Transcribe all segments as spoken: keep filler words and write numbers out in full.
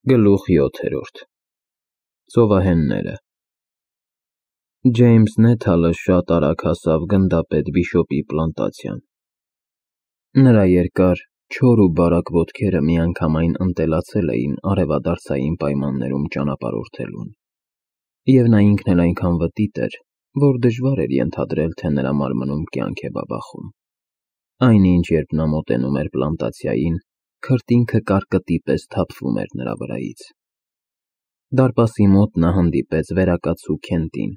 Գլուխ յոթերորդ Ծովահենները Ջեյմս Նեթալը շատ արագ հասավ գնդապետ Բիշոպի պլանտացիան։ Նրա երկար, չոր ու բարակ ոտքերը միանգամայն ընտելացել էին արևադարձային պայմաններում ճանապարհորդելուն, և նա ինքն էլ այնքան վտիտ էր, որ դժվար էր ենթադրել, թե նրա մարմնում կյանք է բաբախում։ Այնինչ, երբ նա մոտենում էր պլանտացիային, քրտինքը կարկտի պես թափվում էր նրա վրայից։ Դարպասի մոտ նա հանդիպեց վերակացու Քենտին,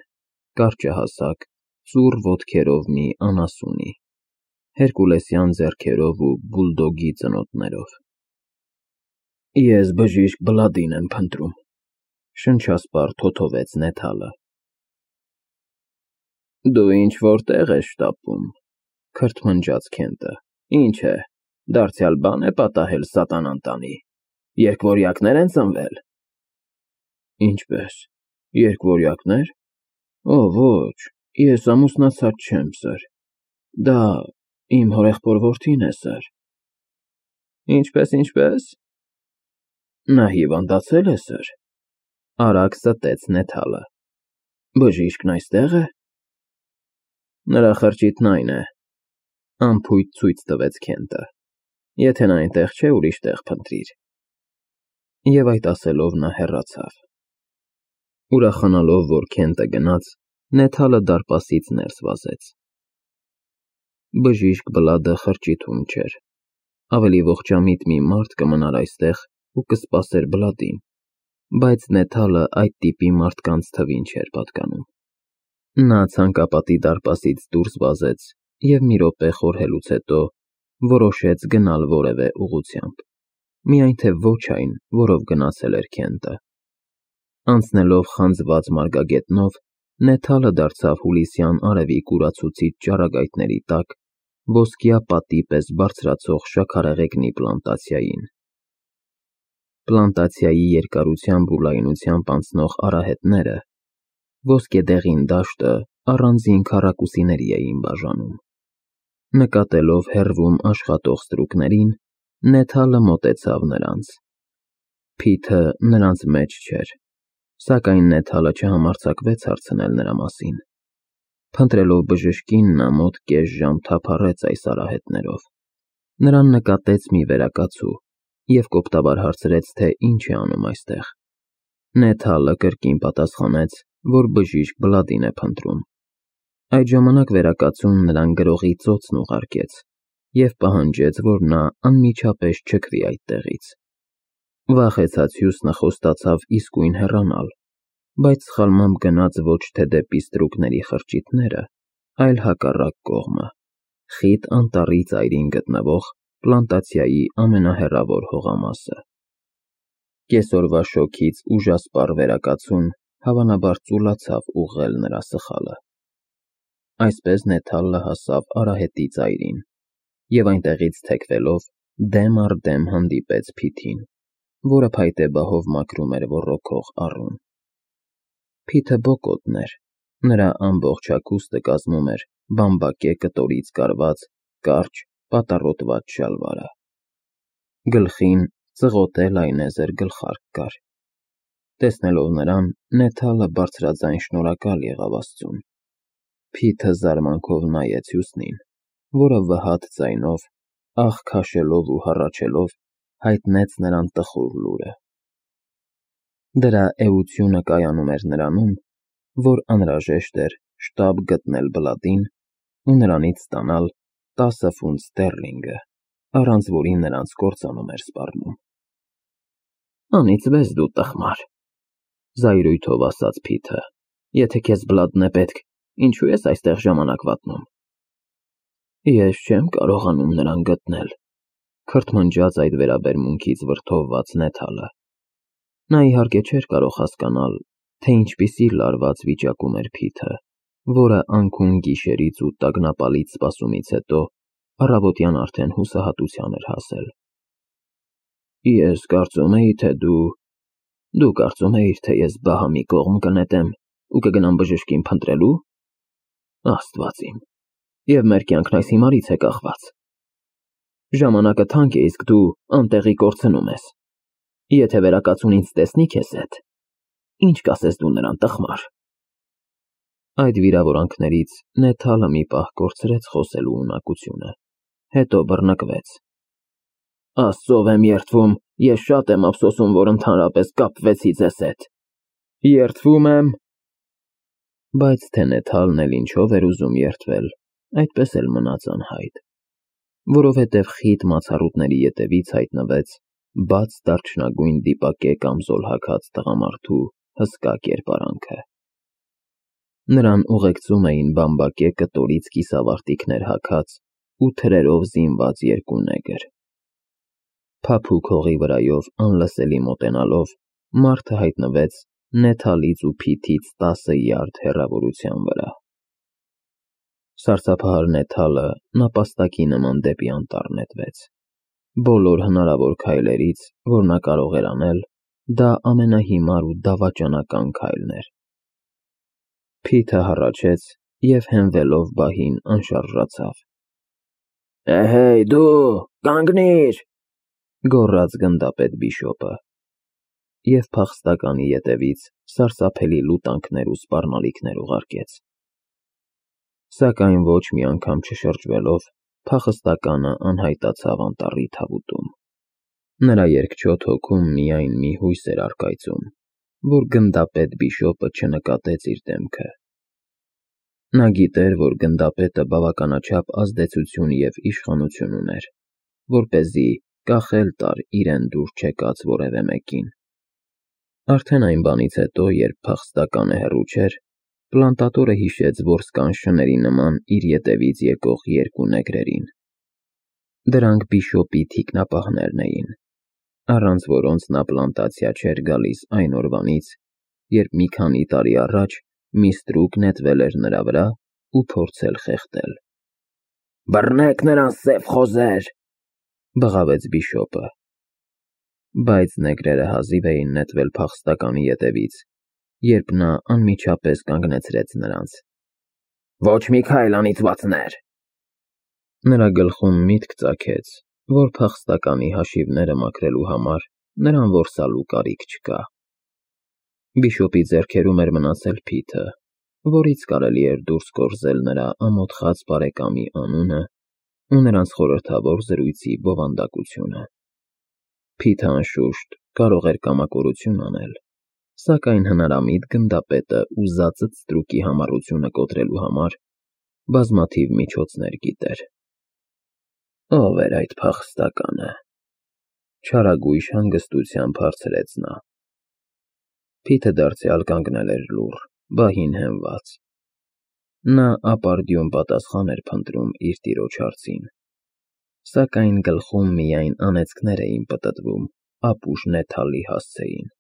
կարճահասակ, ծուռ ոտքերով մի անասունի, հերկուլեսյան ձեռքերով ու բուլդոգի ծնոտներով։ Ես բժիշկ Բլադին եմ փնտրում, շնչասպառ թոթովեց Նեթալը։ Դու ինչ-որ տեղ ես շտապում, քրթմնջաց Քենտը, ինչ է, դարձյալ բան է պատահել սատանան տանի, երկվորյակնե՞ր են ծնվել։ Ինչպե՞ս, երկվորյակնե՞ր։ Օ, ոչ, ես ամուսնացած չեմ, սըր, դա իմ հորեղբոր որդին է, սըր։ Ինչպե՞ս, ինչպե՞ս։ Նա հիվանդացել է, սըր, արագ ստեց Նեթալը։ Բժիշկն այստեղ է։ Նրա խրճիթն այն է, անփույթ ցույց տվեց Քենտը, եթե նա այնտեղ չէ, ուրիշ տեղ փնտրիր։ Եվ այդ ասելով նա հեռացավ։ Ուրախանալով, որ Քենտը գնաց, Նեթալը դարպասից ներս վազեց։ Բժիշկ Բլադը խրճիթում չէր, ավելի ողջամիտ մի մարդ կմնար այստեղ ու կսպասեր Բլադին, բայց Նեթալը այդ տիպի մարդկանց թվին չէր պատկանում։ Նա ցանկապատի դարպասից դուրս վազեց և մի րոպե խորհելուց հետո որոշեց գնալ որևէ ուղղությամբ, միայն թե ոչ այն, որով գնացել էր Քենտը։ Անցնելով խանձված մարգագետնով, Նեթալը դարձավ հուլիսյան արևի կուրացուցիչ ճառագայթների տակ ոսկյա պատի պես բարձրացող շաքարեղեգնի պլանտացիային։ Պլանտացիայի երկարությամբ ու լայնությամբ անցնող արահետները ոսկեդեղին դաշտը առանձին քառակուսիների էին բաժանում։ Նկատելով հեռվում աշխատող ստրուկներին, Նեթալը մոտեցավ նրանց։ Փիթը նրանց մեջ չէր, սակայն Նեթալը չհամարձակվեց հարցնել նրա մասին։ Փնտրելով բժշկին, նա մոտ կես ժամ թափառեց այս արահետներով։ Նրան նկատեց մի վերակացու և կոպտաբար հարցրեց, թե ինչ է անում այստեղ։ Նեթալը կրկին պատասխանեց, որ բժիշկ Բլադին է փնտրում։ Այդ ժամանակ վերակացուն նրան գրողի ծոցն ուղարկեց և պահանջեց, որ նա անմիջապես չքվի այդտեղից։ Վախեցած հյուսնը խոստացավ իսկույն հեռանալ, բայց սխալմամբ գնաց ոչ թե դեպի ստրուկների խրճիթները, այլ հակառակ կողմը, խիտ անտառի ծայրին գտնվող պլանտացիայի ամենահեռավոր հողամասը։ Կեսօրվա շոգից ուժասպառ վերակացուն հավանաբար ծուլացավ ուղղել նրա սխալը։ Այսպես Նեթալը հասավ արահետի ծայրին և այնտեղից թեքվելով դեմ առ դեմ հանդիպեց Փիթին, որը փայտե բահով մաքրում էր ոռոգող առուն։ Փիթը բոկոտն էր, նրա ամբողջ հագուստը կազմում էր բամբակե կտորից կարված կարճ պատառոտված շալվարը։ Գլխին ծղոտե լայնեզր գլխարկ կար։ Տեսնելով նրան, Նեթալը բարձրաձայն շնորհակալ եղավ Աստծուն։ Փիթը զարմանքով նայեց հյուսնին, որը վհատ ձայնով, ախ քաշելով ու հառաչելով, հայտնեց նրան տխուր լուրը։ Դրա էությունը կայանում էր նրանում, որ անհրաժեշտ էր շտապ գտնել Բլադին ու նրանից ստանալ տասը ֆունտ ստեռլինգը, առանց որի նրանց կործանում էր սպառնում։ Անիծվես դու, տխմար, զայրույթով ասաց Փիթը, եթե քեզ Բլադն է պետք, ինչու ես այստեղ ժամանակ վատնում։ Ես չեմ կարողանում նրան գտնել, քրթմնջաց այդ վերաբերմունքից վրդովված Նեթալը։ Նա իհարկե չէր կարող հասկանալ, թե ինչպիսի լարված վիճակում էր Փիթը, որը անքուն գիշերից ու տագնապալից սպասումից հետո առավոտյան արդեն հուսահատության էր հասել։ Ես կարծում էի, թե դու… Դու կարծում էիր, թե ես Բահամի կողմ կնետեմ ու կգնամ բժշկին փնտրելու։ Աստված իմ, և մեր կյանքն այս հիմարից է կախված։ Ժամանակը թանկ է, իսկ դու անտեղի կորցնում ես։ Եթե վերակացուն ինձ տեսնի քեզ հետ, ինչ կասես դու նրան, տխմար։ Այդ վիրավորանքներից Նեթալը մի պահ կորցրեց խոսելու ունակությունը, հետո բռնկվեց։ Աստծով եմ երդվում, ես շատ եմ ափսոսում, որ ընդհանրապես կապվեցի ձեզ հետ։ Երդվում եմ։ Բայց թե Նեթալն էլ ինչով էր ուզում երդվել, այդպես էլ մնաց անհայտ, որովհետև խիտ մացառուտների ետևից հայտնվեց բաց դարչնագույն դիպակե կամզոլ հագած տղամարդու հսկա կերպարանքը։ Նրան ուղեկցում էին բամբակե կտորից կիսավարտիքներ հագած ու թրերով զինված երկու նեգր։ Փափուկ հողի վրայով անլսելի մոտենալով մարդը հայտնվեց Նեթալից ու Փիթից տասը յարդ հեռավորության վրա։ Սարսափահար Նեթալը նապաստակի նման դեպի անտառ նետվեց։ Բոլոր հնարավոր քայլերից, որ նա կարող էր անել, դա ամենահիմար ու դավաճանական քայլն էր։ Փիթը հառաչեց և հենվելով բահին անշարժացավ։ Էհեյ դու, կանգնիր, գոռաց գնդապետ բիշոպը, և փախստականի ետևից սարսափելի լուտանքներ ու սպառնալիքներ ուղարկեց։ Սակայն ոչ մի անգամ չշրջվելով, փախստականը անհայտացավ անտառի թավուտում։ Նրա երկչոտ հոգում միայն մի հույս էր առկայծում, որ գնդապետ բիշոպը չնկատեց իր դեմքը։ Նա գիտեր, որ գնդապետը բավականաչափ ազդեցություն և իշխանություն ուներ, որպեսզի կախել տար իրեն դուր չեկած որևէ մեկին։ Արդեն այն բանից հետո, երբ փախստականը հեռու չէր, պլանտատորը հիշեց որսկան շների նման իր ետևից եկող երկու նեգրերին։ Դրանք բիշոպի թիկնապահներն էին, առանց որոնց նա պլանտացիա չէր գալիս այն օրվանից, երբ մի քանի տարի առաջ մի ստրուկ նետվել էր նրա վրա ու փորձել խեղդել։ Բռնեք նրան, սև խոզեր, բղավեց բիշոպը։ Բայց նեգրերը հազիվ էին նետվել փախստականի ետևից, երբ նա անմիջապես կանգնեցրեց նրանց։ Ոչ մի քայլ, անիծվածներ։ Նրա գլխում միտք ծագեց, որ փախստականի հաշիվները մաքրելու համար նրան որսալու կարիք չկա։ Բիշոպի ձեռքերում էր մնացել Փիթը, որից կարելի էր դուրս գործել նրա ամոթխած բարեկամի անունը ու նրանց խորհրդավոր զրույցի բովանդակությունը։ Փիթը, անշուշտ, կարող էր կամակորություն անել, սակայն հնարամիտ գնդապետը ուզածդ ստրուկի համառությունը կոտրելու համար բազմաթիվ միջոցներ գիտեր։ Ո՞վ էր այդ փախստականը, չարագույժ հանգստությամբ հարցրեց նա։ Փիթը դարձյալ կանգնել էր լուռ, բահին հենված։ Նա ապարդյուն պատասխան էր փնտրում իր տիրոջ հարցին, սակայն գլխում միայն անեծքներ էին պտտվում ապուշ Նեթալի հասցեին։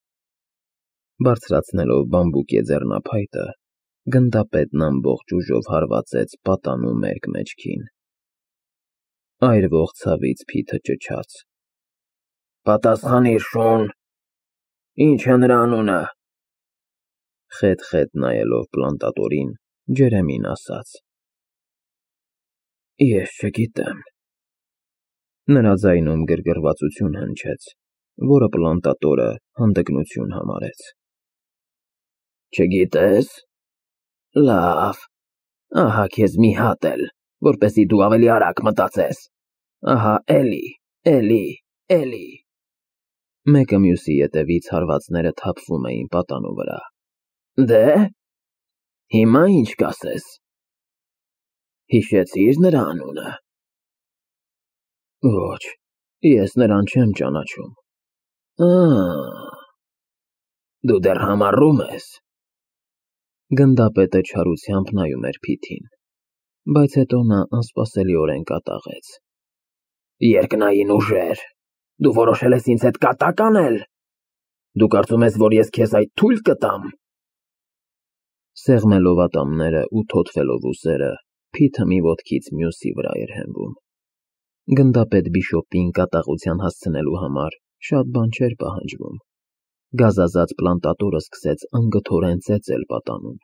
Բարձրացնելով բամբուկե ձեռնափայտը, գնդապետն ամբողջ ուժով հարվածեց պատանու մերկ մեջքին։ Այրվող ցավից Փիթը ճչաց. Պատասխանիր, շուն, ի՞նչ է նրա անունը։ Խետ-խետ նայելով պլանտատորին, ջերեմին ասաց. Ես չգիտեմ։ Նրա ձայնում գրգռվածություն հնչեց, որը պլանտատորը հանդգնություն համարեց։ Չգիտես։ Լավ, ահա քեզ մի հատ էլ, որպեսզի դու ավելի արագ մտածես։ Ահա էլի, էլի, էլի։ Մեկը մյուսի ետևից հարվածները թափվում էին պատանու վրա։ Դե, հիմա ինչ կասես։ Հիշեցի՞ր նրա անունը։ Ոչ, ես նրան չեմ ճանաչում։ Ա, դու դեռ համառում ես։ Գնդապետը չարությամբ նայում էր Փիթին, բայց հետո նա անսպասելիորեն կատաղեց։ Երկնային ուժեր, դու որոշել ես ինձ հետ կատակ անել։ Դու կարծում ես, որ ես քեզ այդ թույլ կտամ։ Սեղմելով ատամները ու թոթվելով ուսերը, Փիթը մի ոտքից մյուսի վրա էր հենվում։ Գնդապետ բիշոպին կատաղության հասցնելու համար շատ բան չէր պահանջվում։ Գազազած պլանտատորը սկսեց անգթորեն ծեծել պատանուն,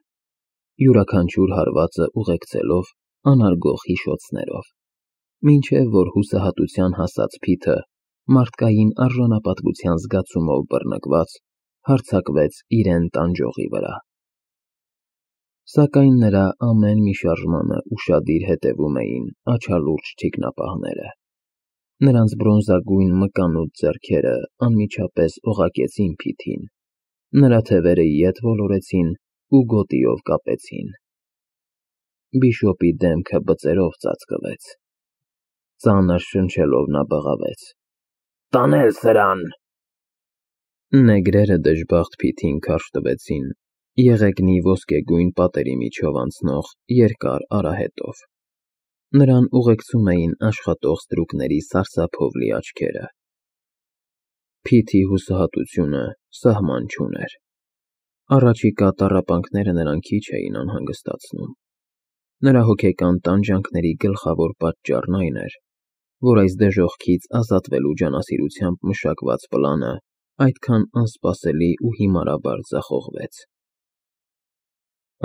յուրաքանչյուր հարվածը ուղեկցելով անարգող հիշոցներով, մինչև որ հուսահատության հասած Փիթը մարդկային արժանապատվության զգացումով բռնկված, հարձակվեց իրեն տանջողի վրա։ Սակայն նրա ամեն մի շարժմանը ուշադիր հետևում էին աչալուրջ թիկնապահները։ Նրանց բրոնզագույն մկանուտ ձեռքերը անմիջապես օղակեցին Փիթին, նրա թևերը ետ ոլորեցին ու գոտիով կապեցին։ Բիշոպի դեմքը բծերով ծածկվեց։ Ծանր շնչելով նա բղավեց. «Տանել սրան»։ Նեգրերը դժբախտ Փիթին քարշ տվեցին եղեգնի ոսկեգույն պատերի միջով անցնող երկար արահետով։ Նրան ուղեկցում էին աշխատող ստրուկների սարսափով լի աչքերը։ Փիթի հուսահատությունը սահման չուներ։ Առաջիկա տառապանքները նրան քիչ էին անհանգստացնում։ Նրա հոգեկան տանջանքների գլխավոր պատճառն այն էր, որ այս դժոխքից ազատվելու ջանասիրությամբ մշակված պլանը այդքան անսպասելի ու հիմարաբար ձախողվեց։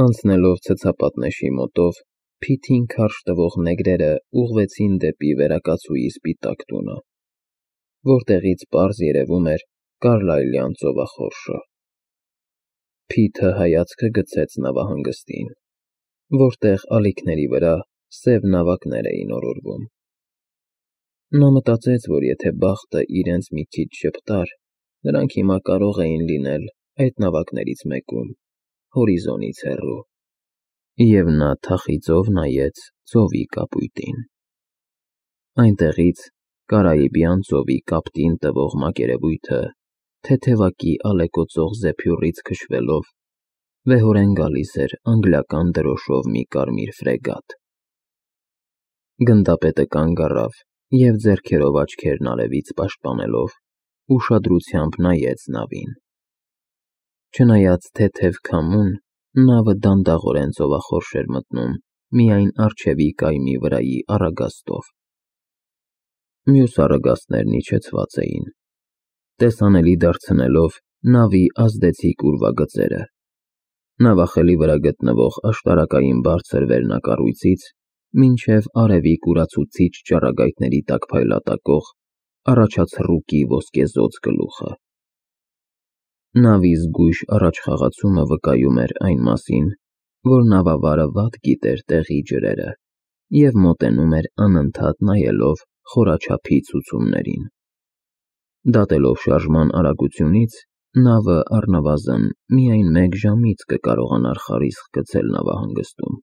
Անցնելով ցցապատնեշի մոտով, Փիթին քարշ տվող նեգրերը ուղղվեցին դեպի վերակացուի սպիտակ տունը, որտեղից պարզ երևում էր Կարլայլյան ծովախորշը։ Փիթը հայացքը գցեց նավահանգստին, որտեղ ալիքների վրա սև նավակներ էին օրորվում։ Նա մտածեց, որ եթե բախտը իրենց մի քիչ ժպտար, նրանք հիմա կարող էին լինել այդ նավակներից մեկում, հորիզոնից հեռու, և նա թախիծով նայեց ծովի կապույտին։ Այնտեղից Կարիբյան ծովի կապտին տվող մակերևույթը թեթևակի ալեկոծող զեփյուռից քշվելով վեհորեն գալիս էր անգլիական դրոշով մի կարմիր ֆրեգատ։ Գնդապետը կանգ առավ և ձեռքերով աչքերն արևից պաշտպանելով ուշադրությամբ նայեց նավին։ Չնայած թեթև քամուն, նավը դանդաղորեն ծովախորշ էր մտնում միայն առջևի կայմի վրայի առագաստով։ Մյուս առագաստներն իջեցված էին, տեսանելի դարձնելով նավի ազդեցիկ ուրվագծերը։ Նավախելի վրա գտնվող աշտարակային բարձր վերնակառույցից մինչև արևի կուրացուցիչ ճառագայթների տակ փայլատակող առաջացռուկի ոսկեզօծ գլուխը։ Նավի զգույշ առաջխաղացումը վկայում էր այն մասին, որ նավավարը վատ գիտեր տեղի ջրերը և մոտենում էր անընդհատ նայելով խորաչափի ցուցումներին։ Դատելով շարժման արագությունից, նավը առնվազն միայն մեկ ժամից կկարողանար խարիսխ գցել նավահանգստում։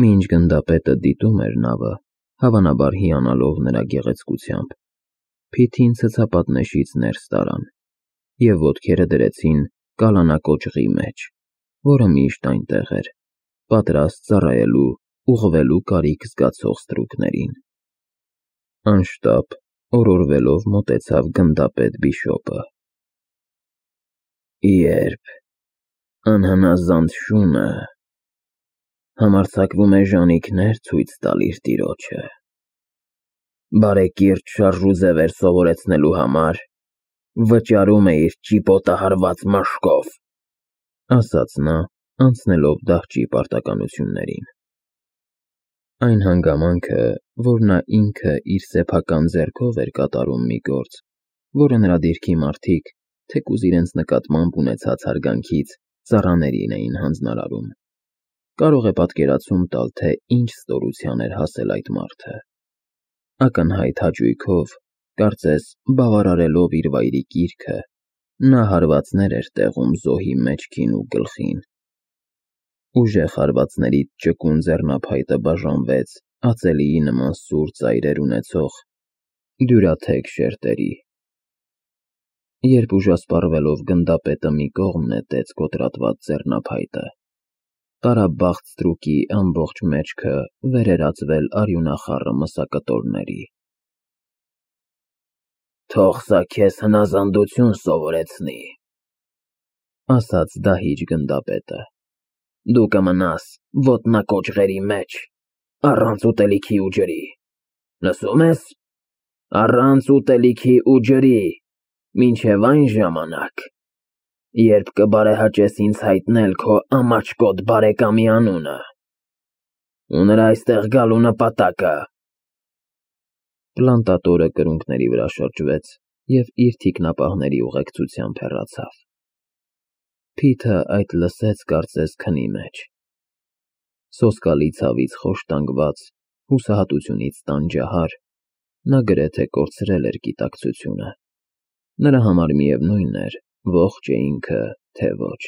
Մինչ գնդապետը դիտում էր նավը, հավանաբար հիանալով նրա գեղեցկությամբ, Փիթին ցցապատնեշից ներս տարան և ոտքերը դրեցին կալանակոճղի մեջ, որը միշտ այնտեղ էր, պատրաստ ծառայելու ուղղվելու կարիք զգացող ստրուկներին։ Անշտապ օրորվելով մոտեցավ գնդապետ Բիշոպը։ Երբ անհնազանդ շունը համարձակվում է ժանիքներ ցույց տալ իր տիրոջը, բարեկիրթ շարժուձևեր սովորեցնելու համար վճարում է իր ճիպոտահարված մաշկով, ասաց նա, անցնելով դահճի պարտականություններին։ Այն հանգամանքը, որ նա ինքը իր սեփական ձեռքով էր կատարում մի գործ, որը նրա դիրքի մարդիկ, թեկուզ իրենց նկատմամբ ունեցած հարգանքից, ծառաներին էին հանձնարարում, կարող է պատկերացում տալ, թե ինչ ստորության էր հասել այդ մարդը։ Ակնհայտ հաճույքով, կարծես բավարարելով իր վայրի կիրքը, նա հարվածներ էր տեղում զոհի մեջքին ու գլխին։ Ուժեղ հարվածներից ճկուն ձեռնափայտը բաժանվեց ածելիի նման սուր ծայրեր ունեցող դյուրաթեք շերտերի։ Երբ ուժասպառվելով գնդապետը մի կողմ նետեց կոտրատված ձեռնափայտը, տարաբախտ ստրուկի ամբողջ մեջքը վեր էր ածվել արյունախառը մսակտորների։ Թող սա քեզ հնազանդություն սովորեցնի, ասաց դահիճ գնդապետը։ Դու կմնաս ոտնակոճղերի մեջ, առանց ուտելիքի ու ջրի, լսո՞ւմ ես, առանց ուտելիքի ու ջրի, մինչև այն ժամանակ, երբ կբարեհաճես ինձ հայտնել քո ամաչկոտ բարեկամի անունը ու նրա այստեղ գալու նպատակը։ Պլանտատորը կրունկների վրա շրջվեց և իր թիկնապահների ուղեկցությամբ հեռացավ։ Փիթը այդ լսեց, կարծես, քնի մեջ։ Սոսկալի ցավից խոշտանգված, հուսահատությունից տանջահար, նա գրեթե կորցրել էր գիտակցությունը։ Նրա համար միևնույն էր՝ ողջ է ինքը, թե ոչ։